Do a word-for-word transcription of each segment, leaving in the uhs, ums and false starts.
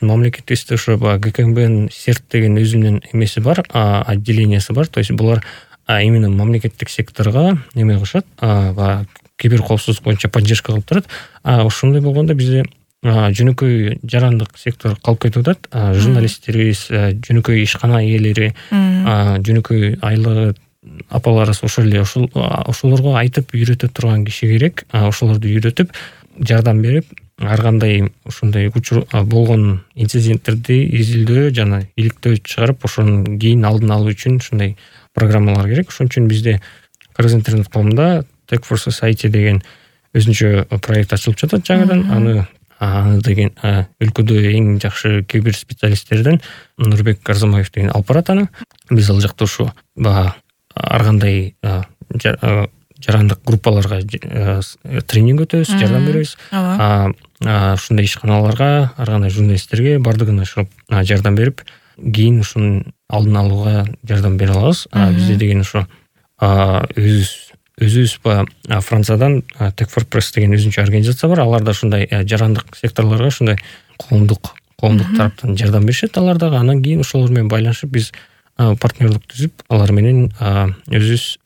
мамлекеттибизде ошо баягы ГКМБнын серт деген өзүнүн эмеси бар, отделениясы бар. То есть булар именно мамлекеттик секторго эме кылышат, баягы кибер коопсуздук боюнча поддержка кылып турат. А ошондой болгондо бизде жөнөкөй жарандык сектор калып кетип атат. Журналисттерибиз, жөнөкөй ишкана ээлери, жөнөкөй айлыгы апаларыбыз ошол эле ошолорго айтып үйрөтө турган киши керек. Ошолорду үйрөтүп, жардам берип, ар кандай ушундай учур болгон инциденттерди изилдөө жана иликтөө чыгарып, ошонун кийин алдын алуу үчүн ушундай программалар керек. Ошон үчүн бизде Кыргыз интернет коомунда Tech for Society деген өзүнчө проект ачылып жатат жаңадан. Аны аны деген өлкөдө эң жакшы кибер специалисттерден Нурбек Арзамаев деген алып барат аны. Биз ал жакта ушу баягы ар кандай жарандык группаларга тренинг өтөбүз, жардам беребиз. Ушундай ишканаларга, ар кандай журналисттерге бардыгына шығып жардам берип, кийин ушунун алдын алууга жардам бере алабыз. Бизде деген ошо өзүбүз өзүбүз баягы Франциядан Tech for Press деген өзүнчө организация бар. Алар да ушундай жарандык секторлорго ушундай коомдук коомдук тараптан жардам беришет. Алар дагы анан кийин ошолор менен байланышып биз партнерлик түзүп, алар менен өзүбүз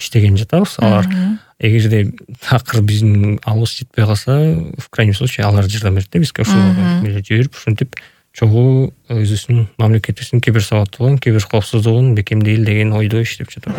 иштеген жатабыз. Алар эгерде такыр биздин алыбыз жетпей калса, в крайнем случае алар жардам берет да бизге. Ошолорго жиберип, ушинтип чогуу өзүбүздүн мамлекетибиздин кибер сабаттуулугун, кибер коопсуздугун бекемдейли деген ойдо иштеп жатат.